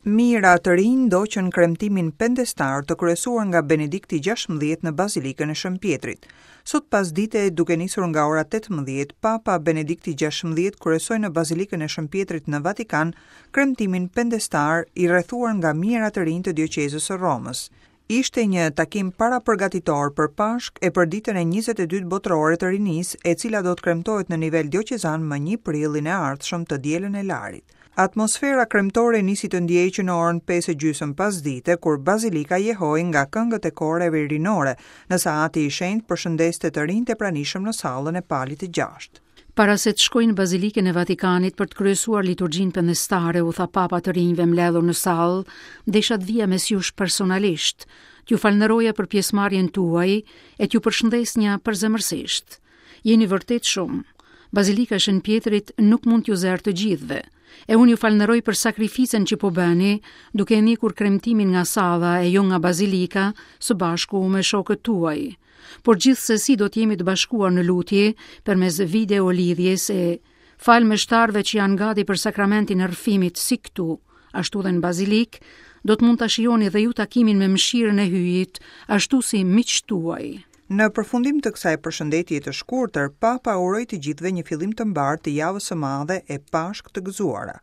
Mijëra të rinj ndoqën kremtimin pendestar të kryesuar nga Benedikti 16 në Bazilikën e Shën Pjetrit. Sot pasdite, duke nisur nga ora 18, Papa Benedikti 16 kryesoi në Bazilikën e Shën Pjetrit në Vatikan kremtimin pendestar i rrethuar nga mijëra të rinj të dioqezës së Romës. Ishte një takim parapërgatitor për Pashkë e për ditën e 22 botërore të rinisë, e cila do të kremtohet në nivel dioqezan më 1 prillin e ardhshëm të dielën e Larit. Atmosfera kremtore nisi të ndihej që në orën 5 e gjysmë pasdite, kur bazilika jehoi nga këngët e koreve rinore, ndërsa Ati i Shenjtë përshëndeste të rinjtë e pranishëm në sallën e Palit të Gjashtë. Para se të shkoj në Bazilikën e Vatikanit për të kryesuar liturgjinë pendestare, u tha Papa të rinjve mbledhur në sallë, desha të vija mes jush personalisht, t'ju falënderoja për pjesëmarrjen tuaj e t'ju përshëndesnja përzemërsisht. Jeni vërtet shumë. Bazilika e Shën Pjetrit nuk mund t'ju zërë të gjithëve. E unë ju falënderoj për sakrificën që po bëni, duke e ndjekur kremtimin nga salla e jo nga bazilika, së bashku me shokët tuaj. Por gjithsesi do të jemi të bashkuar në lutje përmes video lidhjes e falë meshtarëve që janë gati për sakramentin e rrëfimit si këtu, ashtu dhe në bazilikë, do të mund ta shijoni dhe ju takimin me mëshirën e Hyjit, ashtu si miqtë tuaj. Në përfundim të kësaj përshëndetje të shkurtër, Papa uroi të gjithëve një fillim të mbarë të javës së madhe e Pashkë të gëzuara.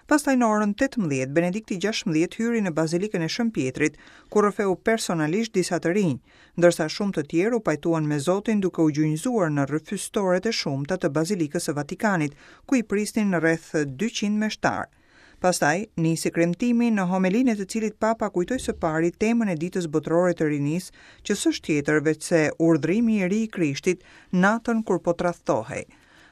Pastaj në orën 18, Benedikti 16 hyri në Bazilikën e Shën Pjetrit, ku rrëfeu personalisht disa të rinj, ndërsa shumë të tjerë u pajtuan me Zotin duke u gjunjëzuar në rrëfystoret e shumta të Bazilikës së Vatikanit, ku i prisnin rreth 200 meshtarë. Pastaj, nisi kremtimi në homelinë e të cilit Papa kujtoi së pari temën e Ditës Botërore të Rinisë, që s'është tjetër veçse urdhërimi i ri i Krishtit natën kur po tradhtohej.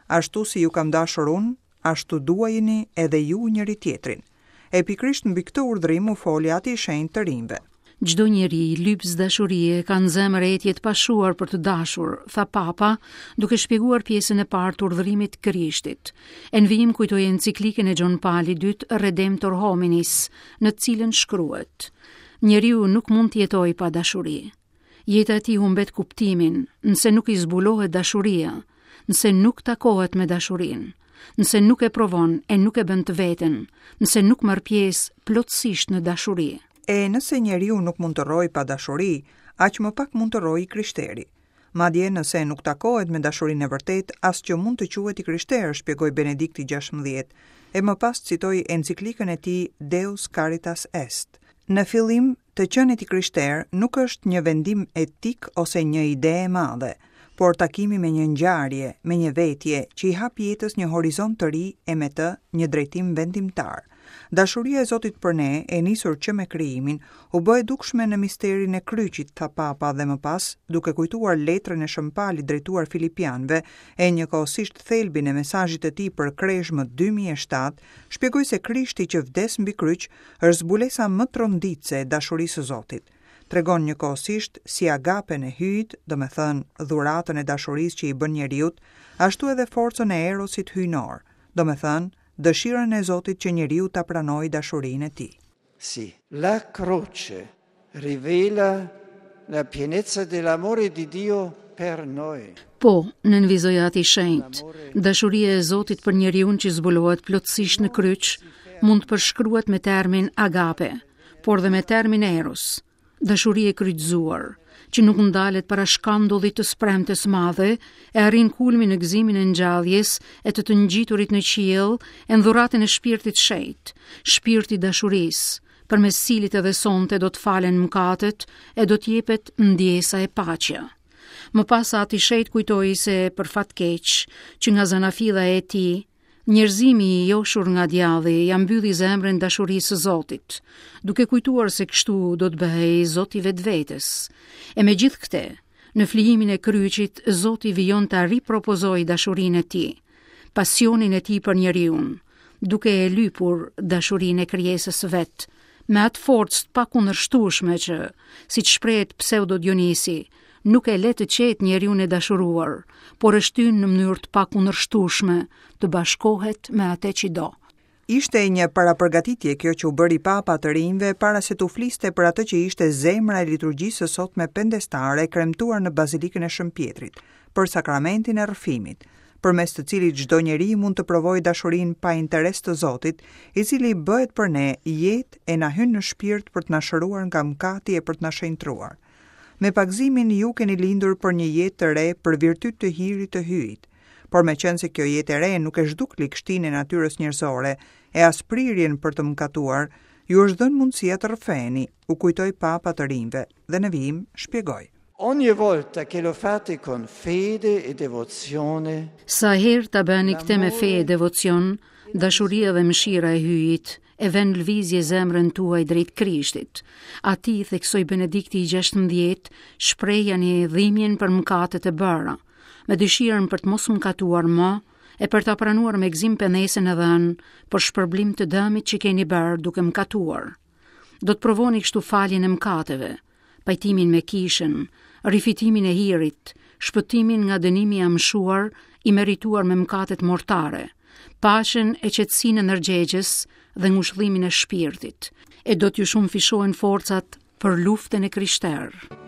Ashtu si ju kam dashur unë, ashtu duajeni edhe ju njëri-tjetrin. E pikërisht mbi këtë urdhërim u foli Ati i Shenjtë të rinjve. Çdo njeri, lypës dashurie, ka në zemër etje të pashuar për të dashur, tha Papa, duke shpjeguar pjesën e parë të urdhërimit të Krishtit. E në vijim kujtoi enciklikën e Gjon Palit II Redemptor Hominis, në të cilën shkruhet: Njeriu nuk mund të jetojë pa dashuri. Jeta e tij humbet kuptimin, nëse nuk i zbulohet dashuria, nëse nuk takohet me dashurinë, nëse nuk e provon e nuk e bën të veten, nëse nuk merr pjesë plotësisht në dashuri. E nëse njeriu nuk mund të rrojë pa dashuri, aq më pak mund të rrojë i krishteri. Madje nëse nuk takohet me dashurinë e vërtetë, as që mund të quhet i krishterë, shpjegoi Benedikti 16, e më pas citoi enciklikën e tij Deus Caritas Est. Në fillim, të qenit i krishterë nuk është një vendim etik ose një ide e madhe, por takimi me një ngjarje, me një vetje, që i hap jetës një horizont të ri e me të një drejtim vendimtar. Dashuria e Zotit për ne, e nisur që me krijimin, u bë e dukshme në misterin e kryqit, tha Papa dhe më pas, duke kujtuar letrën e Shën Palit drejtuar Filipianëve e njëkohësisht thelbin e mesazhit të tij për Krezhmë 2007, shpjegoi se Krishti që vdes mbi kryq është zbulesa më tronditëse e dashurisë së Zotit. Tregon njëkohësisht si agapen e Hyjit, domethënë dhuratën e dashurisë që i bën njeriut, ashtu edhe forcën e erosit hyjnor, domethënë dëshirën e Zotit që njeriu ta pranojë dashurinë e tij. Sì, la croce rivela la pienezza dell'amore di Dio per noi. Po, nënvizoi Ati i Shenjtë, dashuria e Zotit për njeriun që zbulohet plotësisht në kryq, mund të përshkruhet me termin agape, por dhe me termin eros, dashuri e kryqëzuar, që nuk ndalet para shkandullit të së premtes së madhe, e arrin kulmin në gëzimin e ngjalljes e të të ngjiturit në qiell e në dhuratën e shpirtit të shenjtë, shpirti i dashurisë, përmes cilit edhe sonte do të falen mëkatet e do të jepet ndjesa e paqja. Më pas Ati i Shenjtë kujtoi se për fat keq, që nga zanafilla e tij, njerëzimi i joshur nga djalli ia mbylli zemrën dashurisë së Zotit, duke kujtuar se kështu do të bëhej Zot i vetvetes. E megjithë këtë, në flijimin e kryqit, Zoti vijon ta ripropozojë dashurinë e tij, pasionin e tij për njeriun, duke e lypur dashurinë e krijesës së vet, me atë forcë të pakundërshtueshme që, siç shprehet Pseudo Dionisi, nuk e le të qetë njeriun e dashuruar, por e shtyn në mënyrë të pakundërshtueshme të bashkohet me atë që do. Ishte një parapërgatitje kjo që u bëri Papa të rinjve para se t'u fliste për atë që ishte zemra e liturgjisë së sotme pendestare kremtuar në Bazilikën e Shën Pjetrit, për sakramentin e rrëfimit. përmes të cilit çdo njeri mund të provojë dashurinë pa interes të Zotit, i cili bëhet për ne jetë e na hyn në shpirt për të na shëruar nga mëkati e për të na shenjtëruar. Me pagëzimin ju keni lindur për një jetë të re për virtyt të hirit të Hyjit. Por meqenëse kjo jetë e re nuk e zhduk ligështinë e natyrës njerëzore e as prirjen për të mëkatuar, ju është dhënë mundësia të rrëfeheni, u kujtoi Papa të rinjve dhe në vijim shpjegoi. Ogni volta che lo fate con fede e devozione, Sa herë ta bëni këtë me fe e devocion, dashuria dhe mëshira e Hyjit e vënë në lëvizje zemrën tuaj drejt Krishtit. Atij, theksoi Benedikti i 16, shprehjani dhimbjen për mëkatet e bëra, me dëshirën për të mos mëkatuar më e për ta pranuar me gëzim pendesën e dhënë për shpërblim të dëmit që keni bërë duke mëkatuar. Do të provoni kështu faljen e mëkateve, pajtimin me kishën, rifitimin e hirit, shpëtimin nga dënimi i amshuar i merituar me mëkatet mortare, paqen e qetësinë e ndërgjegjes dhe ngushëllimin e shpirtit, e do t'ju shumëfishohen forcat për luftën e krishterë.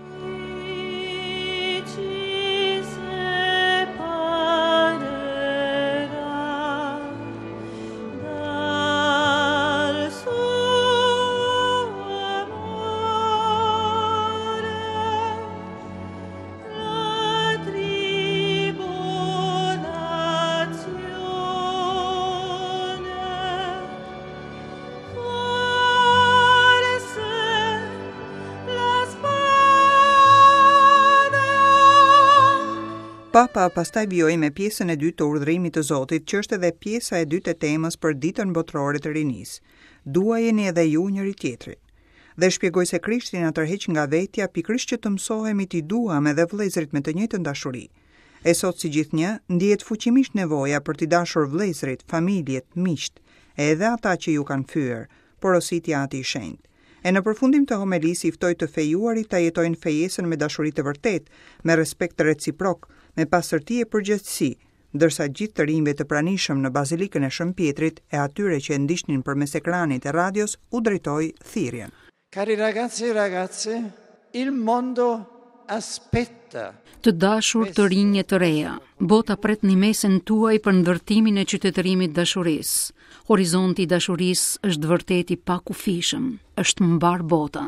Papa pastaj vijoi me pjesën e dytë të urdhërimit të Zotit, që është edhe pjesa e dytë e temës për Ditën Botërore të Rinisë. Duajeni edhe ju njëri-tjetrin. Dhe shpjegoi se Krishti na tërheq nga vetja pikërisht që të mësohemi t'i duam edhe vëllezërit me të njëjtën dashuri. E sot si gjithnjë, ndihet fuqimisht nevoja për t'i dashur vëllezërit, familjet, miqtë, e edhe ata që ju kanë fyer, porositi Ati i Shenjtë. E në përfundim të homelisë i ftoi të fejuarit ta jetojnë fejesën me dashuri të vërtetë, me respekt reciprok, me pastërti e përgjegjësi, ndërsa gjithë të rinjve të pranishëm në Bazilikën e Shën Pjetrit e atyre që e ndiqnin përmes ekranit e radios u drejtoi thirrjen. Cari ragazzi e ragazze, il mondo aspetta. Të dashur të rinj e të reja, bota pret ndihmesën tuaj për ndërtimin e qytetërimit të dashurisë. Horizonti i dashurisë është vërtet i pakufishëm, është mbarë bota.